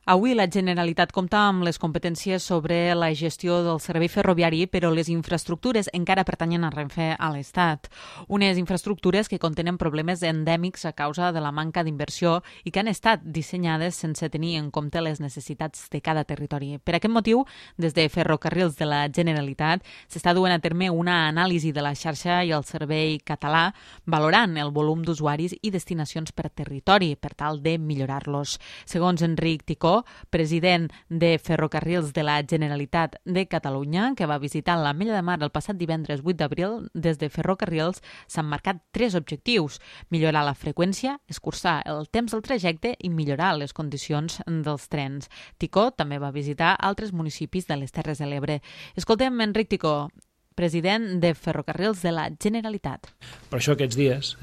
Avui la Generalitat compta amb les competències sobre la gestió del servei ferroviari, però les infraestructures encara pertanyen a Renfe a l'Estat. Unes infraestructures que contenen problemes endèmics a causa de la manca d'inversió i que han estat dissenyades sense tenir en compte les necessitats de cada territori. Per aquest motiu, des de Ferrocarrils de la Generalitat s'està duent a terme una anàlisi de la xarxa i el servei català, valorant el volum d'usuaris i destinacions per territori per tal de millorar-los. Segons Enric Ticó, president de Ferrocarrils de la Generalitat de Catalunya, que va visitar l'Ametlla de Mar el passat divendres 8 d'abril, des de Ferrocarrils s'han marcat 3 objectius: millorar la freqüència, escurçar el temps del trajecte i millorar les condicions dels trens. Ticó també va visitar altres municipis de les Terres de l'Ebre. Escoltem Enric Ticó, president de Ferrocarrils de la Generalitat. Per això aquests dies,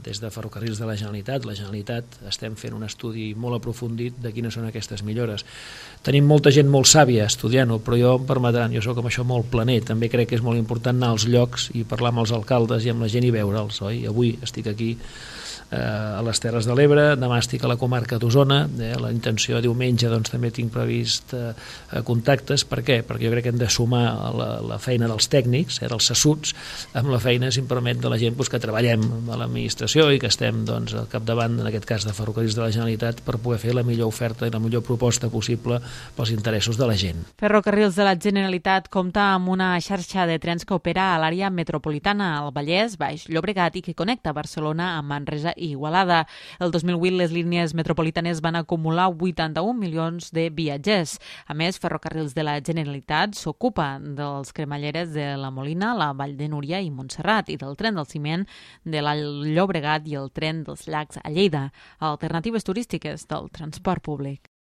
des de Ferrocarrils de la Generalitat estem fent un estudi molt aprofundit de quines són aquestes millores. Tenim molta gent molt sàvia estudiant-ho, però jo em permetran, jo soc amb això molt planer, també crec que és molt important anar als llocs i parlar amb els alcaldes i amb la gent i veure'ls, oi? Avui estic aquí a les Terres de l'Ebre, demà estic a la comarca d'Osona, la intenció diumenge també tinc previst contactes. Per què? Perquè jo crec que hem de sumar la feina dels tècnics, dels sassuts, amb la feina, si em permet, de la gent que treballem a l'administració i que estem al capdavant, en aquest cas de Ferrocarrils de la Generalitat, per poder fer la millor oferta i la millor proposta possible pels interessos de la gent. Ferrocarrils de la Generalitat compta amb una xarxa de trens que opera a l'àrea metropolitana, al Vallès, Baix Llobregat, i que connecta Barcelona amb Manresa i Igualada. El 2008 les línies metropolitanes van acumular 81 milions de viatgers. A més, Ferrocarrils de la Generalitat s'ocupa dels cremalleres de la Molina, la Vall de Núria i Montserrat, i del tren del ciment de l'Alt Llobregat i el tren dels llacs a Lleida, alternatives turístiques del transport públic.